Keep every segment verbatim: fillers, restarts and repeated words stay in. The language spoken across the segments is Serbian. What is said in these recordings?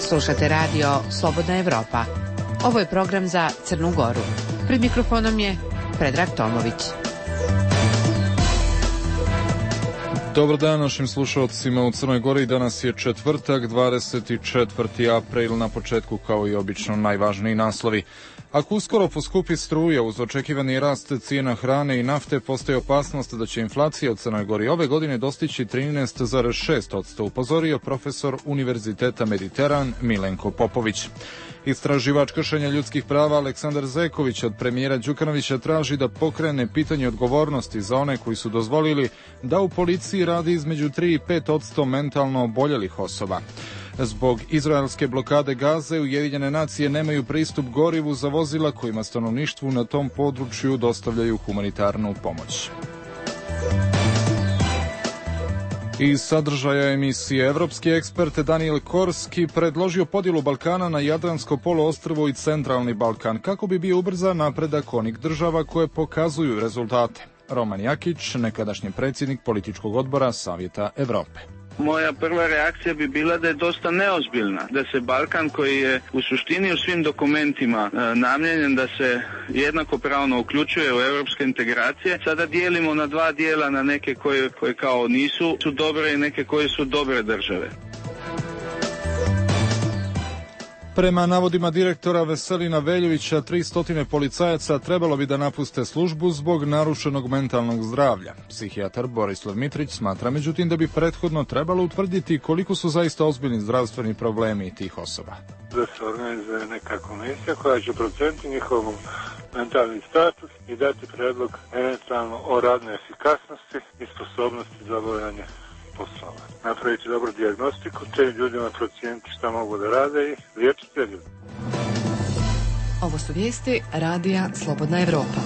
Slušate radio Slobodna Evropa. Ovo je program za Crnu Goru. Pred mikrofonom je Predrag Tomović. Dobar dan našim slušalcima u Crnoj Gori. Danas je četvrtak, dvadeset četvrti april, na početku kao i obično najvažniji naslovi. Ako uskoro poskupi struja uz očekivani rast cijena hrane i nafte, postoji opasnost da će inflacija u Crnoj Gori ove godine dostići trinaest zarez šest posto, upozorio profesor Univerziteta Mediteran Milenko Popović. Istraživač kršenja ljudskih prava Aleksandar Zeković od premijera Đukanovića traži da pokrene pitanje odgovornosti za one koji su dozvolili da u policiji radi između tri i pet posto mentalno oboljelih osoba. Zbog izraelske blokade Gaze, Ujedinjene nacije nemaju pristup gorivu za vozila kojima stanovništvu na tom području dostavljaju humanitarnu pomoć. Iz sadržaja emisije, evropski ekspert Daniel Korski predložio podjelu Balkana na Jadransko poluostrvo i Centralni Balkan kako bi bio ubrzan napredak onih država koje pokazuju rezultate. Roman Jakić, nekadašnji predsjednik političkog odbora Savjeta Evrope. Moja prva reakcija bi bila da je dosta neozbiljna, da se Balkan, koji je u suštini u svim dokumentima e, namijenjen da se jednakopravno uključuje u europske integracije, sada dijelimo na dva dijela, na neke koje, koje kao nisu su dobre i neke koje su dobre države. Prema navodima direktora Veselina Veljovića, tristo policajaca trebalo bi da napuste službu zbog narušenog mentalnog zdravlja. Psihijatar Borislav Mitrić smatra međutim da bi prethodno trebalo utvrditi koliko su zaista ozbiljni zdravstveni problemi tih osoba. Da se organizuje neka komisija koja će proceniti njihov mentalni status i dati predlog eventualno o radnoj efikasnosti i sposobnosti za obavljanje poslova. Napraviti dobru dijagnostiku, te ljudima procijeniti šta mogu da rade i liječiti te ljudi. Ovo su vijesti radija Slobodna Evropa.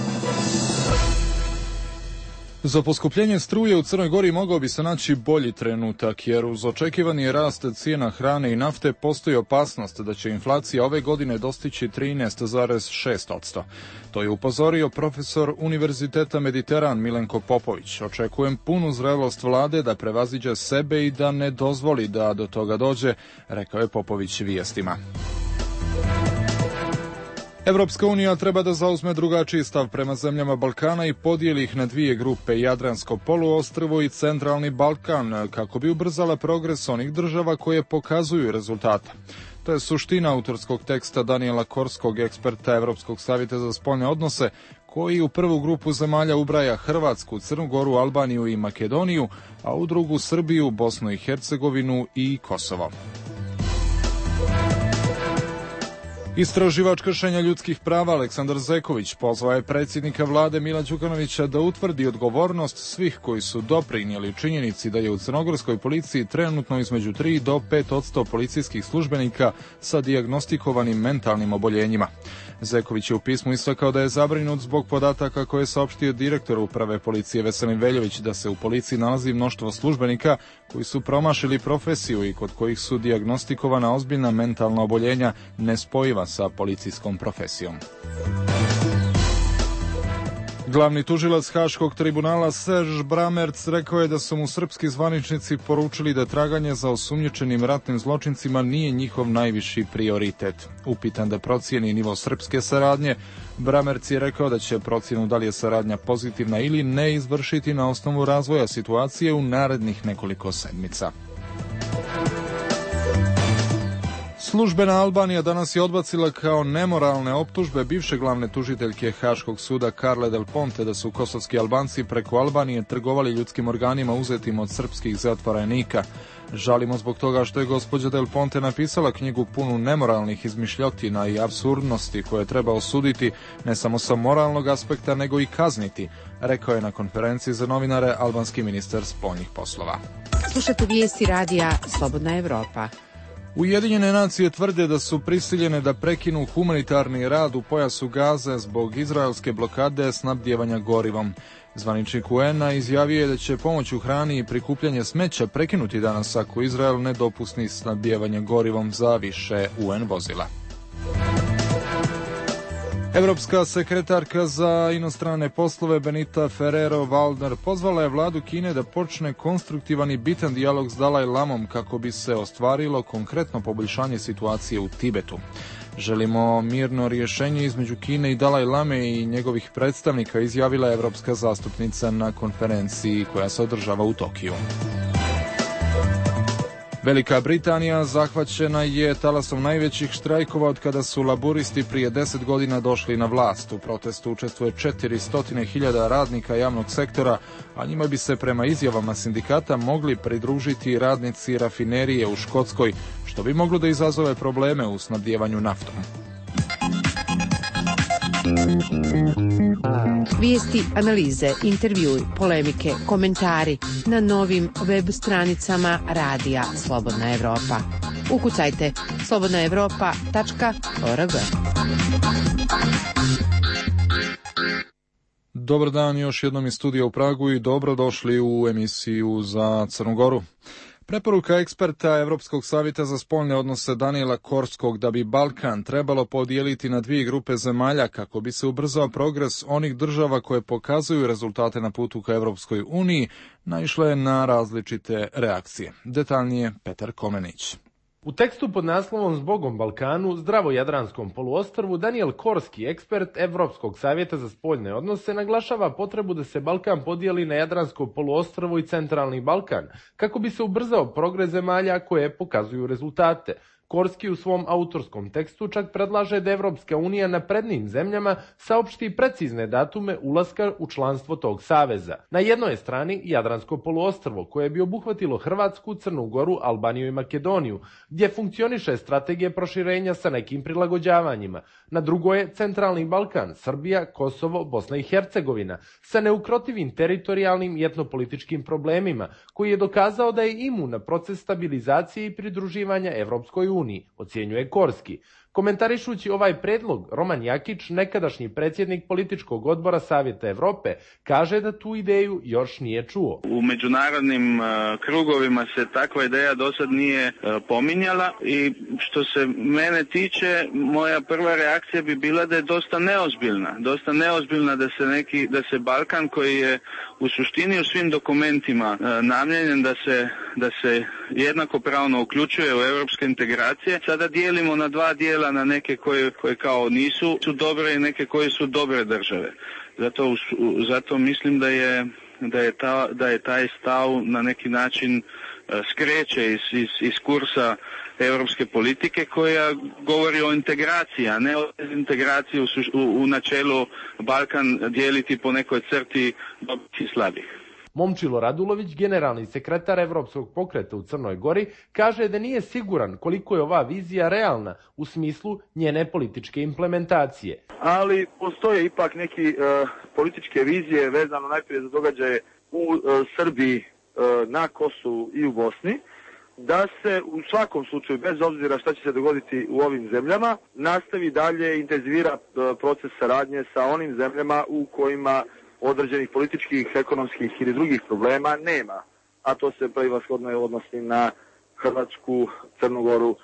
Za poskupljenje struje u Crnoj Gori mogao bi se naći bolji trenutak, jer uz očekivani rast cijena hrane i nafte postoji opasnost da će inflacija ove godine dostići trinaest zarez šest posto. To je upozorio profesor Univerziteta Mediteran Milenko Popović. Očekujem punu zrelost vlade da prevaziđe sebe i da ne dozvoli da do toga dođe, rekao je Popović vijestima. Evropska unija treba da zauzme drugačiji stav prema zemljama Balkana i podijeli ih na dvije grupe, Jadransko poluostrvo i Centralni Balkan, kako bi ubrzala progres onih država koje pokazuju rezultate. To je suština autorskog teksta Daniela Korskog, eksperta Evropskog savjeta za spoljne odnose, koji u prvu grupu zemalja ubraja Hrvatsku, Crnu Goru, Albaniju i Makedoniju, a u drugu Srbiju, Bosnu i Hercegovinu i Kosovo. Istraživač kršenja ljudskih prava Aleksandar Zeković pozvao je predsjednika vlade Mila Đukanovića da utvrdi odgovornost svih koji su doprinijeli činjenici da je u crnogorskoj policiji trenutno između tri do pet posto policijskih službenika sa dijagnostikovanim mentalnim oboljenjima. Zeković je u pismu istakao da je zabrinut zbog podataka koje je saopštio direktor uprave policije Veselin Veljović, da se u policiji nalazi mnoštvo službenika koji su promašili profesiju i kod kojih su dijagnostikovana ozbiljna mentalna oboljenja nespojiva sa policijskom profesijom. Glavni tužilac Haškog tribunala Serž Bramerc rekao je da su mu srpski zvaničnici poručili da traganje za osumnjičenim ratnim zločincima nije njihov najviši prioritet. Upitan da procijeni nivo srpske saradnje, Bramerc je rekao da će procjenu da li je saradnja pozitivna ili ne izvršiti na osnovu razvoja situacije u narednih nekoliko sedmica. Službena Albanija danas je odbacila kao nemoralne optužbe bivše glavne tužiteljke Haškog suda Carle Del Ponte da su kosovski Albanci preko Albanije trgovali ljudskim organima uzetim od srpskih zatvorenika. Žalimo zbog toga što je gospođa Del Ponte napisala knjigu punu nemoralnih izmišljotina i apsurdnosti koje treba osuditi ne samo sa moralnog aspekta nego i kazniti, rekao je na konferenciji za novinare albanski ministar spoljnih poslova. Slušate vijesti radija Slobodna Evropa. Ujedinjene nacije tvrde da su prisiljene da prekinu humanitarni rad u pojasu Gaze zbog izraelske blokade snabdijevanja gorivom. Zvaničnik U N-a izjavio je da će pomoć u hrani i prikupljanje smeća prekinuti danas ako Izrael ne dopusti snabdijevanje gorivom za više U N vozila. Evropska sekretarka za inostrane poslove Benita Ferrero-Waldner pozvala je vladu Kine da počne konstruktivan i bitan dijalog s Dalaj Lamom kako bi se ostvarilo konkretno poboljšanje situacije u Tibetu. Želimo mirno rješenje između Kine i Dalaj Lame i njegovih predstavnika, izjavila je evropska zastupnica na konferenciji koja se održava u Tokiju. Velika Britanija zahvaćena je talasom najvećih štrajkova od kada su laburisti prije deset godina došli na vlast. U protestu učestvuje četiristo hiljada radnika javnog sektora, a njima bi se prema izjavama sindikata mogli pridružiti radnici rafinerije u Škotskoj, što bi moglo da izazove probleme u snabdijevanju naftom. Vijesti, analize, intervjui, polemike, komentari na novim web stranicama Radija Slobodna Evropa. Ukucajte slobodna evropa tačka org. Dobar dan još jednom iz studija u Pragu i dobrodošli u emisiju za Crnu Goru. Preporuka eksperta Evropskog savjeta za spoljne odnose Daniela Korskog da bi Balkan trebalo podijeliti na dvije grupe zemalja kako bi se ubrzao progres onih država koje pokazuju rezultate na putu ka Evropskoj uniji, naišla je na različite reakcije. Detaljnije Petar Komenić. U tekstu pod naslovom Zbogom Balkanu, zdravo Jadranskom poluostrvu, Daniel Korski, ekspert Evropskog savjeta za spoljne odnose, naglašava potrebu da se Balkan podijeli na Jadransko poluostrvo i Centralni Balkan, kako bi se ubrzao progres zemalja koje pokazuju rezultate. Korski u svom autorskom tekstu čak predlaže da Evropska unija naprednijim zemljama saopšti precizne datume ulaska u članstvo tog saveza. Na jednoj je strani Jadransko poluostrvo, koje bi obuhvatilo Hrvatsku, Crnu Goru, Albaniju i Makedoniju, gdje funkcioniše strategija proširenja sa nekim prilagođavanjima. Na drugoj je Centralni Balkan, Srbija, Kosovo, Bosna i Hercegovina, sa neukrotivim teritorijalnim i etnopolitičkim problemima, koji je dokazao da je imun na proces stabilizacije i pridruživanja Evropskoj uniji, ocjenjuje Korski. Komentarišući ovaj predlog, Roman Jakić, nekadašnji predsjednik političkog odbora Savjeta Evrope, kaže da tu ideju još nije čuo. U međunarodnim uh, krugovima se takva ideja do sad nije uh, pominjala i što se mene tiče, moja prva reakcija bi bila da je dosta neozbiljna. Dosta neozbiljna da se neki, da se Balkan koji je u suštini u svim dokumentima uh, namijenjen da se, da se jednakopravno uključuje u europske integracije, sada dijelimo na dva dijela, na neke koje, koje kao nisu su dobre i neke koje su dobre države. Zato, zato mislim da je, da je, ta, da je taj stav na neki način skreće iz, iz, iz kursa europske politike koja govori o integraciji, a ne o integraciji u, u, u načelu Balkan dijeliti po nekoj crti dobrih i slabih. Momčilo Radulović, generalni sekretar Evropskog pokreta u Crnoj Gori, kaže da nije siguran koliko je ova vizija realna u smislu njene političke implementacije. Ali postoje ipak neki uh, političke vizije vezano najprije za događaje u uh, Srbiji, uh, na Kosovu i u Bosni, da se u svakom slučaju, bez obzira šta će se dogoditi u ovim zemljama, nastavi dalje intenzivira uh, proces saradnje sa onim zemljama u kojima određenih političkih, ekonomskih ili drugih problema nema, a to se prevashodno odnosi na Hrvatsku, Crnu Goru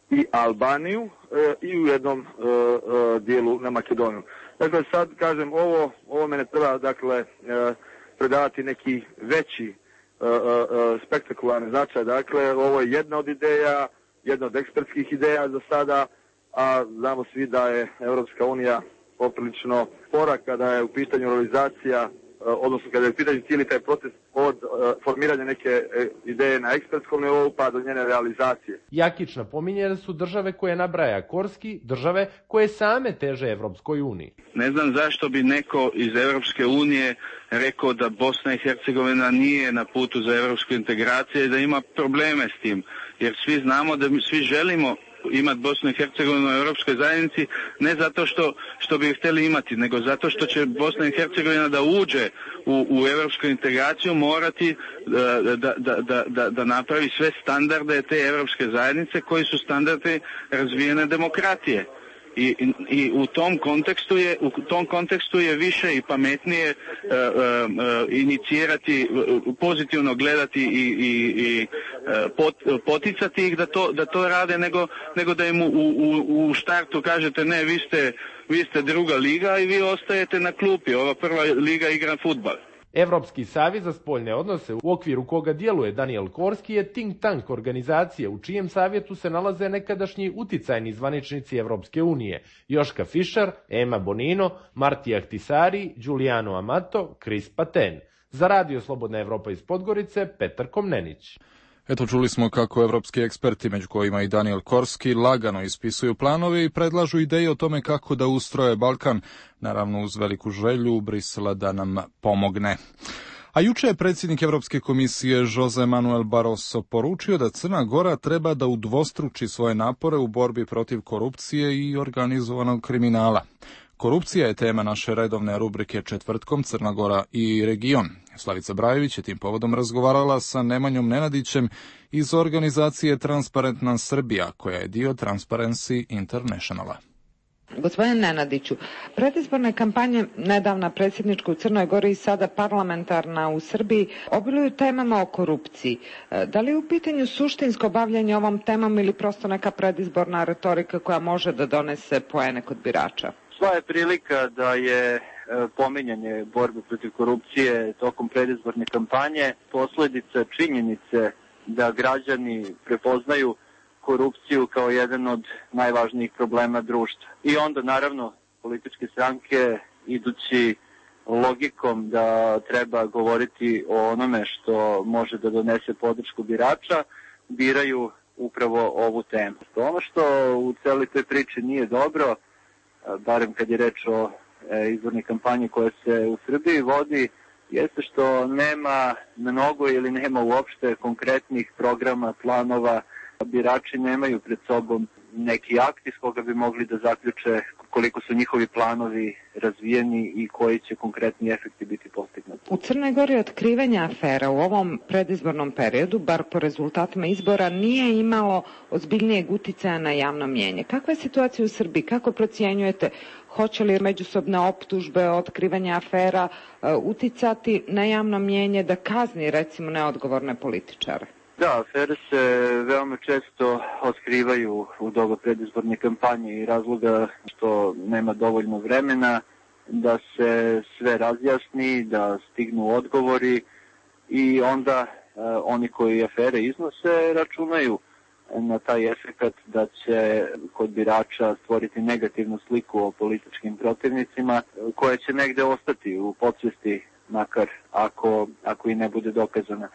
i Albaniju e, i u jednom e, e, dijelu na Makedoniju. Dakle, sad kažem, ovo, ovo mene treba dakle, e, predavati neki veći e, e, spektakularni značaj. Dakle, ovo je jedna od ideja, jedna od ekspertskih ideja za sada, a znamo svi da je Evropska unija poprilično spora kada je u pitanju realizacija, odnosno kada je u pitanju cijeli taj proces od formiranja neke ideje na ekspertskom nivou pa do njene realizacije. Jakić napominje da su države koje nabraja Korski države koje same teže Evropskoj uniji. Ne znam zašto bi neko iz Evropske unije rekao da Bosna i Hercegovina nije na putu za evropsku integraciju i da ima probleme s tim, jer svi znamo da mi svi želimo imati Bosnu i Hercegovinu u Europskoj zajednici, ne zato što, što bi htjeli imati, nego zato što će Bosna i Hercegovina da uđe u, u europsku integraciju morati da, da, da, da, da napravi sve standarde te europske zajednice koji su standardi razvijene demokratije. I, i, i u tom kontekstu je u tom kontekstu je više i pametnije uh, uh, inicirati, pozitivno gledati i, i, i pot, poticati ih da to da to rade nego nego da im u, u, u štartu kažete ne, vi ste vi ste druga liga i vi ostajete na klupi, ova prva liga igra fudbal. Evropski savez za spoljne odnose, u okviru koga djeluje Daniel Korski, je think tank organizacije u čijem savjetu se nalaze nekadašnji uticajni zvaničnici Evropske unije, Joška Fischer, Ema Bonino, Marti Ahtisari, Giuliano Amato, Chris Paten. Za Radio Slobodna Evropa iz Podgorice, Petar Komnenić. Eto, čuli smo kako evropski eksperti, među kojima i Daniel Korski, lagano ispisuju planove i predlažu ideje o tome kako da ustroje Balkan, naravno uz veliku želju Brisela da nam pomogne. A juče je predsjednik Evropske komisije Jose Manuel Barroso poručio da Crna Gora treba da udvostruči svoje napore u borbi protiv korupcije i organizovanog kriminala. Korupcija je tema naše redovne rubrike Četvrtkom, Crna Gora i region. Slavica Brajević je tim povodom razgovarala sa Nemanjom Nenadićem iz organizacije Transparentna Srbija, koja je dio Transparency Internationala. Gospodine Nenadiću, predizborne kampanje, nedavna predsjednička u Crnoj Gori i sada parlamentarna u Srbiji, obiluju temama o korupciji. Da li je u pitanju suštinsko bavljanje ovom temom ili prosto neka predizborna retorika koja može da donese poene kod birača? Sva je prilika da je pominjanje borbe protiv korupcije tokom predizborne kampanje posljedica činjenice da građani prepoznaju korupciju kao jedan od najvažnijih problema društva. I onda naravno političke stranke, idući logikom da treba govoriti o onome što može da donese podršku birača, biraju upravo ovu temu. Ono što u celoj toj priči nije dobro, barem kad je reč o izbornoj kampanji koja se u Srbiji vodi, jeste što nema mnogo ili nema uopšte konkretnih programa, planova. Birači nemaju pred sobom neki akt iz koga bi mogli da zaključe koliko su njihovi planovi razvijeni i koji će konkretni efekti biti postignuti. U Crnoj Gori otkrivanje afera u ovom predizbornom periodu, bar po rezultatima izbora, nije imalo ozbiljnijeg uticaja na javno mnijenje. Kakva je situacija u Srbiji? Kako procjenjujete? Hoće li međusobne optužbe, otkrivanje afera uticati na javno mnijenje da kazni recimo neodgovorne političare? Da, afere se veoma često otkrivaju u doba predizborne kampanje i razloga što nema dovoljno vremena da se sve razjasni, da stignu odgovori i onda e, oni koji afere iznose računaju na taj efekat da će kod birača stvoriti negativnu sliku o političkim protivnicima koja će negde ostati u podsvesti, makar ako, ako i ne bude dokazana.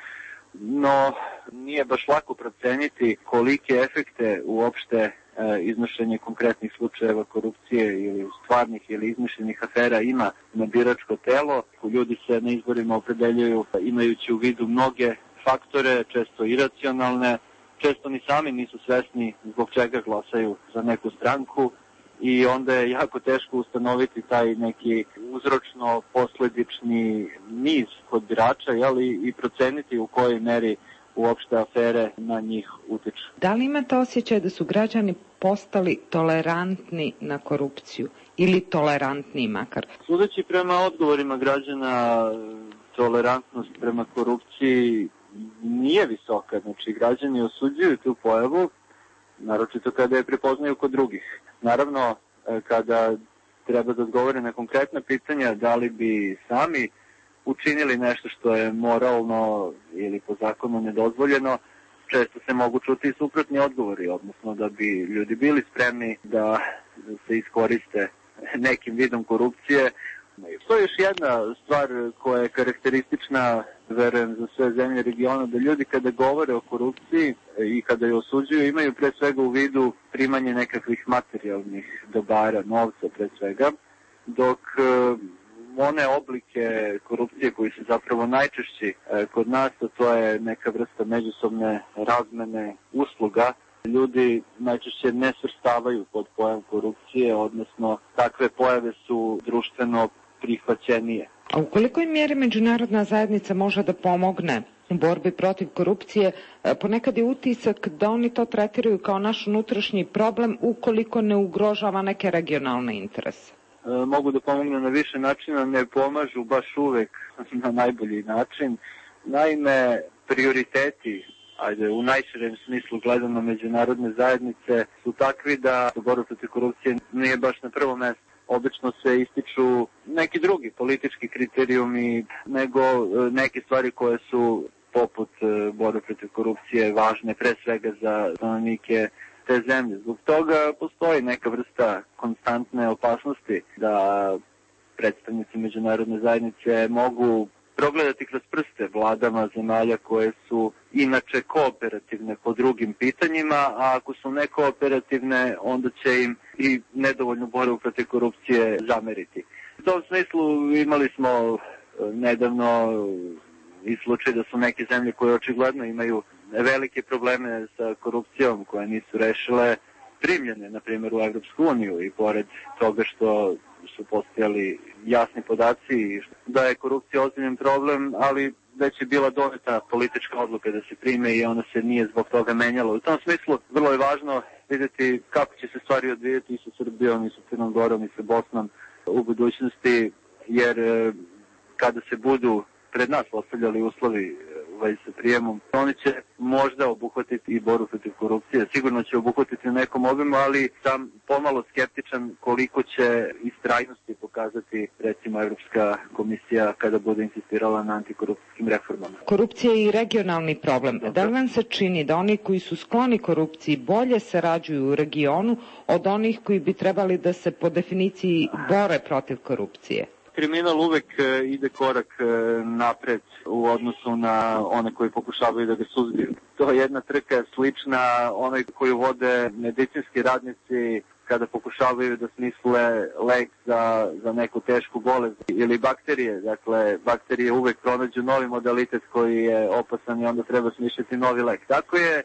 No, nije baš lako proceniti kolike efekte uopšte e, iznošenje konkretnih slučajeva korupcije ili stvarnih ili izmišljenih afera ima na biračko telo. Ljudi se na izborima opredeljuju imajući u vidu mnoge faktore, često iracionalne, često ni sami nisu svesni zbog čega glasaju za neku stranku i onda je jako teško ustanoviti taj neki uzročno-posledični niz kod birača, jeli, i proceniti u kojoj meri uopšte afere na njih utiču. Da li imate osjećaj da su građani postali tolerantni na korupciju ili tolerantniji makar? Sudeći prema odgovorima građana, tolerantnost prema korupciji nije visoka. Znači, građani osuđuju tu pojavu, naročito kada je prepoznaju kod drugih. Naravno, kada treba da odgovore na konkretna pitanja, da li bi sami učinili nešto što je moralno ili po zakonu nedozvoljeno, često se mogu čuti i suprotni odgovori, odnosno da bi ljudi bili spremni da se iskoriste nekim vidom korupcije. To je još jedna stvar koja je karakteristična, verujem, za sve zemlje regiona, da ljudi kada govore o korupciji i kada je osuđuju imaju pre svega u vidu primanje nekakvih materijalnih dobara, novca pre svega, dok one oblike korupcije koji su zapravo najčešći kod nas, a to je neka vrsta međusobne razmene usluga, ljudi najčešće ne svrstavaju pod pojam korupcije, odnosno takve pojave su društveno prihvaćenije. A u kolikoj mjeri međunarodna zajednica može da pomogne u borbi protiv korupcije? Ponekad je utisak da oni to tretiraju kao naš unutrašnji problem ukoliko ne ugrožava neke regionalne interese. E, mogu da pomognu na više načina, ne pomažu baš uvek na najbolji način. Naime, prioriteti, ajde, u najširem smislu gledano međunarodne zajednice, su takvi da borba protiv korupcije nije baš na prvom mjestu. obično se ističu neki drugi politički kriterijumi nego neke stvari koje su poput borbe protiv korupcije važne pre svega za stanovnike te zemlje. Zbog toga postoji neka vrsta konstantne opasnosti da predstavnici međunarodne zajednice mogu progledati kroz prste vladama zemalja koje su inače kooperativne po drugim pitanjima, a ako su nekooperativne, onda će im i nedovoljnu borbu protiv korupcije zameriti. U tom smislu imali smo nedavno i slučaj da su neke zemlje koje očigledno imaju velike probleme sa korupcijom koje nisu rešile primljene, na primjer, u Evropsku uniju i pored toga što su postojali jasni podaci da je korupcija ozbiljan problem, ali već je bila doneta politička odluka da se prime i ona se nije zbog toga menjala. U tom smislu vrlo je važno vidjeti kako će se stvari odvijeti i sa Srbijom i sa Crnom Gorom i sa Bosnom u budućnosti, jer kada se budu pred nas postavljali uslovi u vezi sa prijemom, oni će možda obuhvatiti i borbu protiv korupcije. Sigurno će obuhvatiti u nekom obimu, ali sam pomalo skeptičan koliko će istrajnosti pokazati, recimo, Evropska komisija kada bude insistirala na antikorupcijskim reformama. Korupcija je i regionalni problem. Da li vam se čini da oni koji su skloni korupciji bolje sarađuju u regionu od onih koji bi trebali da se po definiciji bore protiv korupcije? Kriminal uvek ide korak napred u odnosu na one koji pokušavaju da ga suzbiju. To je jedna trka slična onoj koju vode medicinski radnici kada pokušavaju da smisle lek za, za neku tešku bolest ili bakterije. Dakle, bakterije uvek pronađu novi modalitet koji je opasan i onda treba smišljati novi lek. Tako je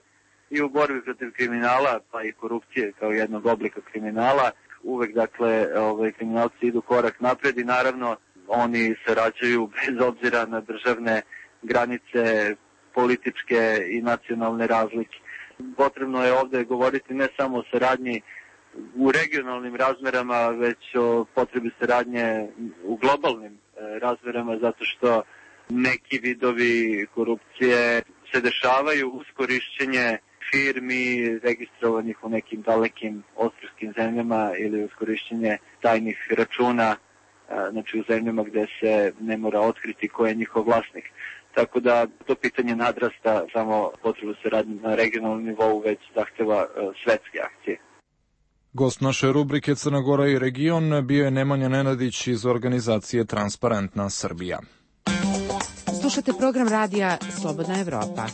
i u borbi protiv kriminala, pa i korupcije kao jednog oblika kriminala. Uvek, dakle, ovaj, kriminalci idu korak napred i naravno oni sarađuju bez obzira na državne granice, političke i nacionalne razlike. Potrebno je ovde govoriti ne samo o saradnji u regionalnim razmerama, već o potrebi saradnje u globalnim razmerama, zato što neki vidovi korupcije se dešavaju uz korišćenje firmi registrovanih u nekim dalekim ostrvskim zemljama ili uz korišćenje tajnih računa, znači u zemljama gde se ne mora otkriti ko je njihov vlasnik. Tako da to pitanje nadrasta samo potrebu saradnje na regionalnom nivou, već zahteva svetske akcije. Gost naše rubrike Crna Gora i region bio je Nemanja Nenadić iz organizacije Transparentna Srbija. Slušate program radija Slobodna Evropa.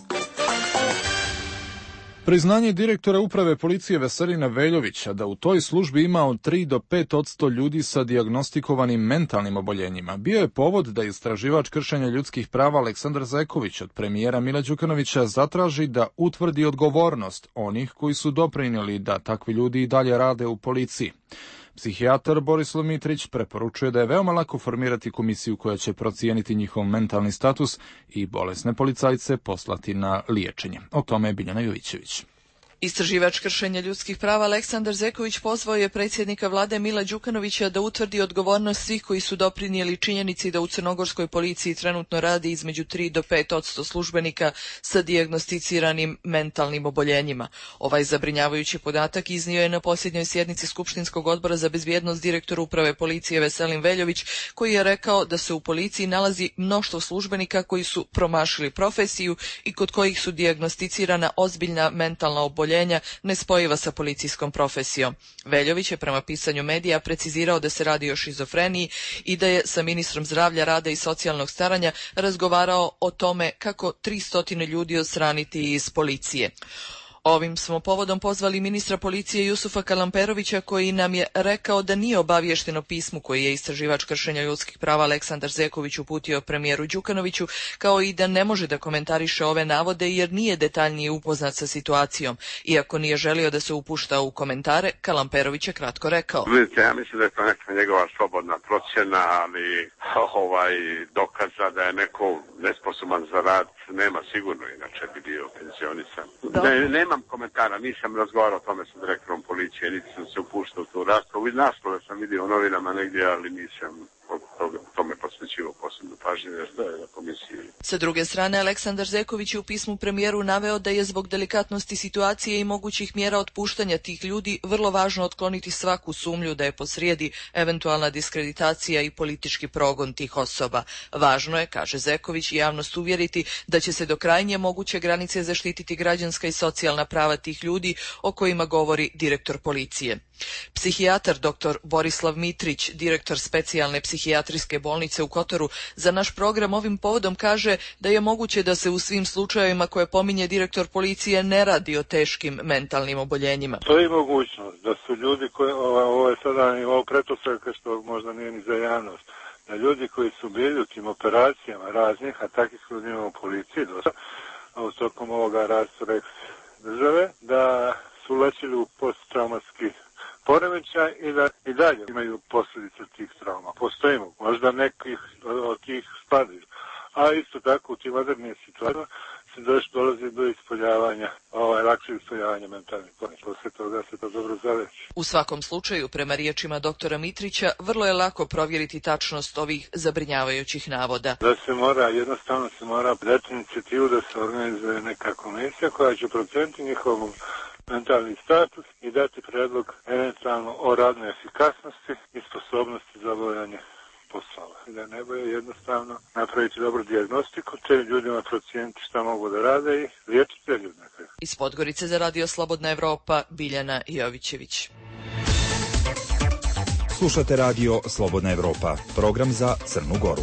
Priznanje direktora uprave policije Veselina Veljovića da u toj službi ima od tri do pet odsto ljudi sa dijagnostikovanim mentalnim oboljenjima bio je povod da istraživač kršenja ljudskih prava Aleksandar Zeković od premijera Mila Đukanovića zatraži da utvrdi odgovornost onih koji su doprinijeli da takvi ljudi i dalje rade u policiji. Psihijatar Borislav Mitrić preporučuje da je veoma lako formirati komisiju koja će procijeniti njihov mentalni status i bolesne policajce poslati na liječenje. O tome je Biljana Jovićević. Istraživač kršenja ljudskih prava Aleksandar Zeković pozvao je predsjednika vlade Mila Đukanovića da utvrdi odgovornost svih koji su doprinijeli činjenici da u crnogorskoj policiji trenutno radi između tri do pet odsto službenika sa dijagnosticiranim mentalnim oboljenjima. Ovaj zabrinjavajući podatak iznio je na posljednjoj sjednici Skupštinskog odbora za bezbjednost direktor uprave policije Veselin Veljović, koji je rekao da se u policiji nalazi mnoštvo službenika koji su promašili profesiju i kod kojih su dijagnosticirana ozbiljna mentalna oboljenja nespojiva sa policijskom profesijom. Veljović je prema pisanju medija precizirao da se radi o šizofreniji i da je sa ministrom zdravlja, rada i socijalnog staranja razgovarao o tome kako tristo ljudi odstraniti iz policije. Ovim smo povodom pozvali ministra policije Jusufa Kalamperovića, koji nam je rekao da nije obaviješteno pismu koji je istraživač kršenja ljudskih prava Aleksandar Zeković uputio premijeru Đukanoviću, kao i da ne može da komentariše ove navode jer nije detaljnije upoznat sa situacijom. Iako nije želio da se upušta u komentare, Kalamperović je kratko rekao. Vidite, ja mislim da je to neka njegova slobodna procjena, ali ovaj dokaza da je neko nesposoban za rad nema sigurno, inače bi bio pensionisan. Ne, nemam komentara, nisam razgovarao o tome sa direktorom policije, niti sam se upuštao u tu raspravu. Naslove sam vidio u novinama negdje, ali nisam o tome posvetio. posvećivo posebno pažnje na komisiji. Sa druge strane, Aleksandar Zeković je u pismu premijeru naveo da je zbog delikatnosti situacije i mogućih mjera otpuštanja tih ljudi vrlo važno otkloniti svaku sumnju da je posrijedi eventualna diskreditacija i politički progon tih osoba. Važno je, kaže Zeković, javnost uvjeriti da će se do krajnje moguće granice zaštititi građanska i socijalna prava tih ljudi o kojima govori direktor policije. Psihijatar doktor Borislav Mitrić, direktor specijalne psihijatrijske bolnice u Kotoru, za naš program ovim povodom kaže da je moguće da se u svim slučajevima koje pominje direktor policije ne radi o teškim mentalnim oboljenjima. To je mogućnost da su ljudi koji, ovo, ovo je sada ovo pretpostavka što možda nije ni za javnost, da ljudi koji su bili u tim operacijama raznih, a takvih ljudi imamo u policiji dosta, u tokom ovoga rastora države, da su lečili u posttraumatski poremećaj i da i dalje imaju posljedice tih trauma. Postojimo, možda nekih od tih spadaju. A isto tako u tim modernim situacijama se dolazi do ispoljavanja, ovaj, lakšeg ispoljavanja mentalnih poremećaja. Posle toga se to dobro zaveći. U svakom slučaju, prema riječima doktora Mitrića, vrlo je lako provjeriti tačnost ovih zabrinjavajućih navoda. Da se mora, jednostavno se mora dati inicijativu da se organizuje neka komisija koja će proceniti njihovom mentalni status i dati predlog eventualno o radnoj efikasnosti i sposobnosti za obavljanje poslova. Da ne boje jednostavno napraviti dobru dijagnostiku, te ljudima procijeniti šta mogu da rade i liječiti te ljudi. Iz Podgorice za Radio Slobodna Evropa, Biljana Jovićević. Slušate Radio Slobodna Evropa, program za Crnu Goru.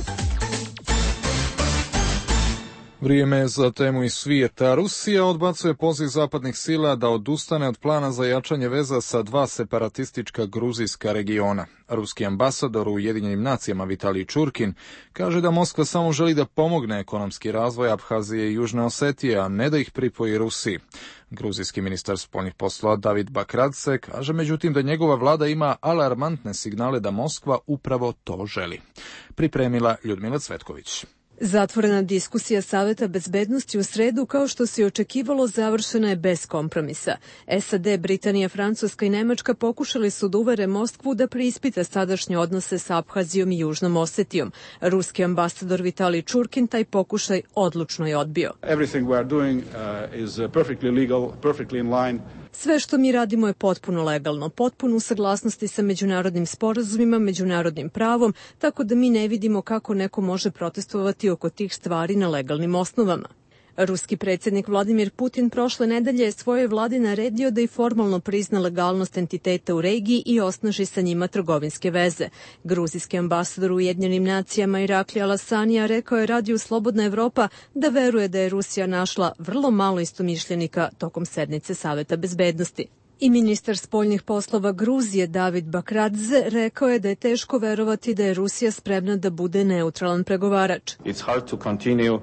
Vrijeme za temu iz svijeta. Rusija odbacuje poziv zapadnih sila da odustane od plana za jačanje veza sa dva separatistička gruzijska regiona. Ruski ambasador u Ujedinjenim nacijama Vitalij Čurkin kaže da Moskva samo želi da pomogne ekonomski razvoj Abhazije i Južne Osetije, a ne da ih pripoji Rusiji. Gruzijski ministar spoljnih poslova David Bakradze kaže međutim da njegova vlada ima alarmantne signale da Moskva upravo to želi. Pripremila Ljudmila Cvetković. Zatvorena diskusija Saveta bezbednosti u sredu, kao što se očekivalo, završena je bez kompromisa. S A D, Britanija, Francuska i Nemačka pokušali su da uvere Moskvu da preispita sadašnje odnose sa Abhazijom i Južnom Osetijom. Ruski ambasador Vitalij Čurkin taj pokušaj odlučno je odbio. Everything we are doing uh, is perfectly legal, perfectly in line. Sve što mi radimo je potpuno legalno, potpuno u saglasnosti sa međunarodnim sporazumima, međunarodnim pravom, tako da mi ne vidimo kako neko može protestovati oko tih stvari na legalnim osnovama. Ruski predsjednik Vladimir Putin prošle nedelje je svojoj vladi naredio da i formalno prizna legalnost entiteta u regiji i osnaži sa njima trgovinske veze. Gruzijski ambasador u Ujedinjenim nacijama Irakli Alasanija rekao je Radiju Slobodna Evropa da veruje da je Rusija našla vrlo malo istomišljenika tokom sednice Saveta bezbednosti. I ministar spoljnih poslova Gruzije David Bakradze rekao je da je teško verovati da je Rusija spremna da bude neutralan pregovarač. It's hard to continue uh,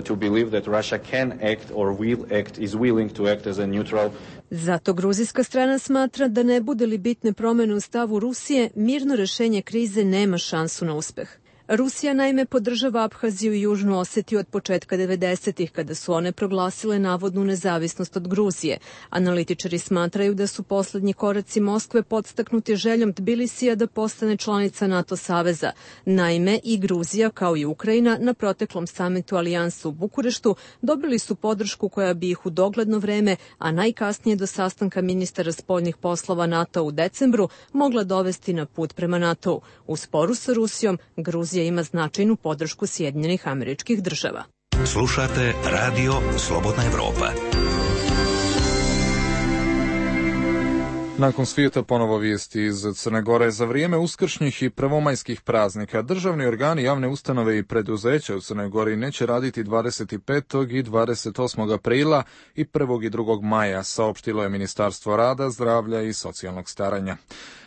to believe that Russia can act or will act, is willing to act as a neutral. Zato gruzijska strana smatra da ne bude li bitne promjene u stavu Rusije, mirno rešenje krize nema šansu na uspeh. Rusija naime podržava Abhaziju i Južnu Osetiju od početka devedesetih, kada su one proglasile navodnu nezavisnost od Gruzije. Analitičari smatraju da su poslednji koraci Moskve podstaknuti željom Tbilisija da postane članica NATO saveza. Naime, i Gruzija, kao i Ukrajina, na proteklom samitu Alijansa u Bukureštu dobili su podršku koja bi ih u dogledno vreme, a najkasnije do sastanka ministara spoljnih poslova NATO u decembru, mogla dovesti na put prema NATO-u. U sporu sa Rusijom, Gruzija ima značajnu podršku Sjedinjenih Američkih Država. Slušate Radio Slobodna Evropa. Nakon svijeta ponovo vijesti iz Crne Gore. Za vrijeme uskršnjih i prvomajskih praznika državni organi, javne ustanove i preduzeća u Crnoj Gori neće raditi dvadeset petog i dvadeset osmog aprila i prvog i drugog maja, saopštilo je Ministarstvo rada, zdravlja i socijalnog staranja.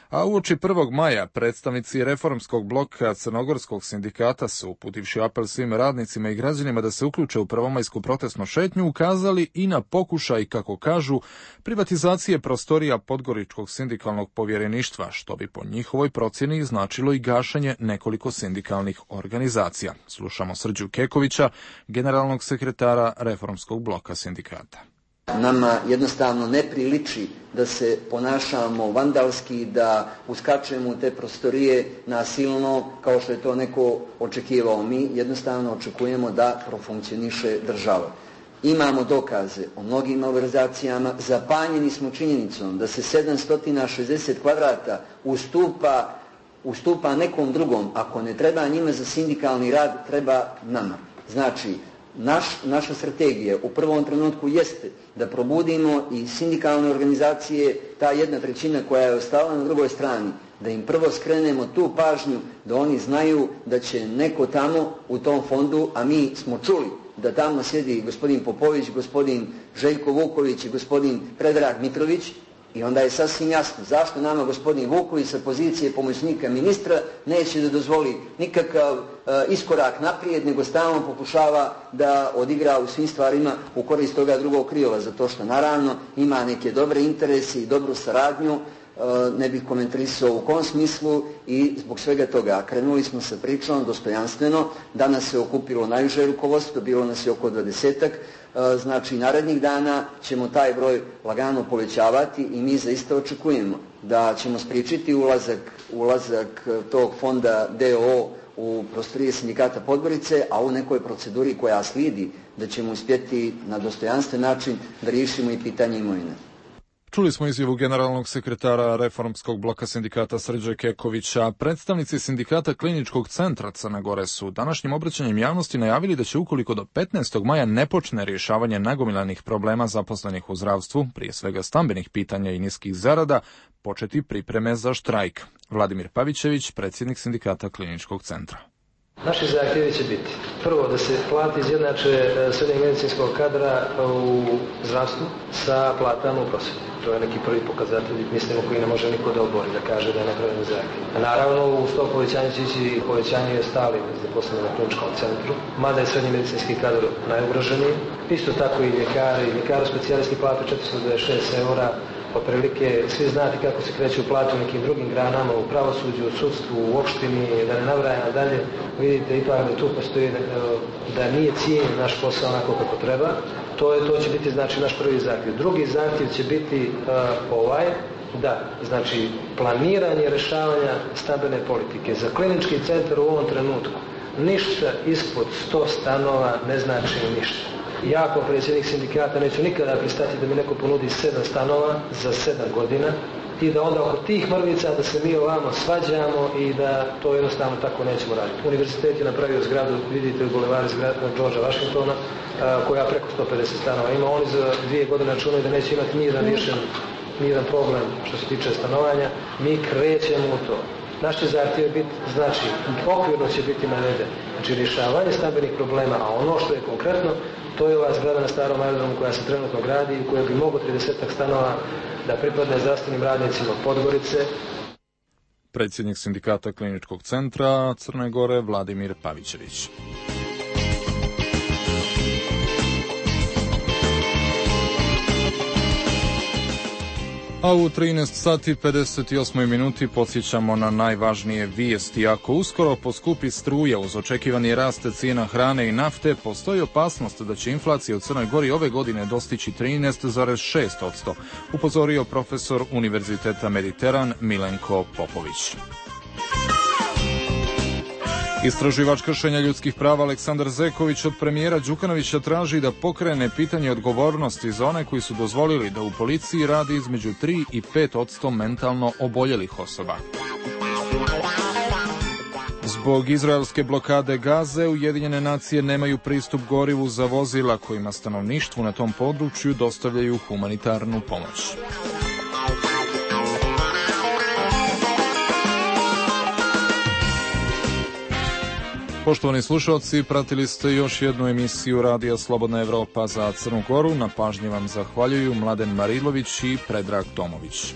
A uoči prvog maja predstavnici reformskog bloka Crnogorskog sindikata su, uputivši apel svim radnicima i građanima da se uključe u prvomajsku protestnu šetnju, ukazali i na pokušaj, kako kažu, privatizacije prostorija Podgoričkog sindikalnog povjereništva, što bi po njihovoj procjeni značilo i gašenje nekoliko sindikalnih organizacija. Slušamo Srđu Kekovića, generalnog sekretara reformskog bloka sindikata. Nama jednostavno ne priliči da se ponašamo vandalski, da uskačemo u te prostorije nasilno kao što je to neko očekivao. Mi jednostavno očekujemo da profunkcioniše država. Imamo dokaze o mnogim malverzacijama, zapanjeni smo činjenicom da se sedamsto šezdeset kvadrata ustupa, ustupa nekom drugom. Ako ne treba njima za sindikalni rad, treba nama. Znači, Naš, naša strategija u prvom trenutku jeste da probudimo i sindikalne organizacije, ta jedna trećina koja je ostala na drugoj strani, da im prvo skrenemo tu pažnju, da oni znaju da će neko tamo u tom fondu, a mi smo čuli da tamo sjedi gospodin Popović, gospodin Željko Vuković i gospodin Predrag Mitrović, i onda je sasvim jasno zašto nama gospodin Vuković sa pozicije pomoćnika ministra neće da dozvoli nikakav e, iskorak naprijed, nego stalno pokušava da odigra u svim stvarima u korist toga drugog krila, zato što naravno ima neke dobre interese i dobru saradnju, e, ne bih komentarisao u kom smislu, i zbog svega toga krenuli smo sa pričom dostojanstveno. Danas se okupilo najviše rukovodstvo, bilo nas je oko dvadesetak. Znači, narednih dana ćemo taj broj lagano povećavati i mi zaista očekujemo da ćemo spriječiti ulazak, ulazak tog fonda D O O u prostorije sindikata Podgorice, a u nekoj proceduri koja slijedi da ćemo uspjeti na dostojanstven način da riješimo i pitanje imovine. Čuli smo izjavu generalnog sekretara Reformskog bloka sindikata Srđe Kekovića. Predstavnici sindikata Kliničkog centra Crne Gore su današnjim obraćanjem javnosti najavili da će, ukoliko do petnaestog maja ne počne rješavanje nagomilanih problema zaposlenih u zdravstvu, prije svega stambenih pitanja i niskih zarada, početi pripreme za štrajk. Vladimir Pavićević, predsjednik sindikata Kliničkog centra. Naši zahtjevi će biti prvo da se plati izjednače srednjeg medicinskog kadra u zdravstvu sa platama u prosvjeti. To je neki prvi pokazatelj, mislimo, koji ne može niko da obori, da kaže da je nepravedno zahtjev. Naravno, uz to povećanje će ići povećanje stali zaposleni na Kliničkom centru, mada je srednji medicinski kadar najugroženiji. Isto tako i ljekari, ljekaru specijalisti plate četiristo dvadeset šest eura. Otprilike svi znate kako se kreću plate u nekim drugim granama, u pravosuđu, u sudstvu, u opštini, da ne nabrajam dalje. Vidite ipak da tu postoji da, da nije cijenjen naš posao onako kako treba. To, je, to će biti, znači, naš prvi zahtjev. Drugi zahtjev će biti uh, ovaj, da, znači, planiranje rješavanja stambene politike. Za Klinički centar u ovom trenutku ništa ispod sto stanova ne znači ništa. Ja kao predsjednik sindikata neću nikada pristati da mi neko ponudi sedam stanova za sedam godina i da onda oko tih mrvica da se mi ovamo svađamo i da to jednostavno tako nećemo raditi. Univerzitet je napravio zgradu, vidite, u bulevari zgrada Georgea Washingtona, koja preko sto pedeset stanova ima. Oni za dvije godine računaju da neće imati nijedan riješen, nijedan problem što se tiče stanovanja. Mi krećemo u to. Naš će zahtjev biti, znači, okvirno će biti naveden, znači, rješavanje stambenih problema, a ono što je konkretno, to je ova zgrada na starom aerodromu koja se trenutno gradi i koja bi moglo tridesetak stanova da pripadne zdravstvenim radnicima Podgorice. Predsjednik sindikata Kliničkog centra Crne Gore Vladimir Pavićević. A u trinaest sati pedeset osam minuti podsjećamo na najvažnije vijesti. Ako uskoro poskupi struja uz očekivani rast cijena hrane i nafte, postoji opasnost da će inflacija u Crnoj Gori ove godine dostići trinaest zarez šest posto, upozorio profesor Univerziteta Mediteran Milenko Popović. Istraživač kršenja ljudskih prava Aleksandar Zeković od premijera Đukanovića traži da pokrene pitanje odgovornosti za one koji su dozvolili da u policiji radi između tri i pet posto mentalno oboljelih osoba. Zbog izraelske blokade Gaze, Ujedinjene nacije nemaju pristup gorivu za vozila kojima stanovništvu na tom području dostavljaju humanitarnu pomoć. Poštovani slušalci, pratili ste još jednu emisiju Radija Slobodna Evropa za Crnu Goru. Na pažnji vam zahvaljuju Mladen Marilović i Predrag Tomović.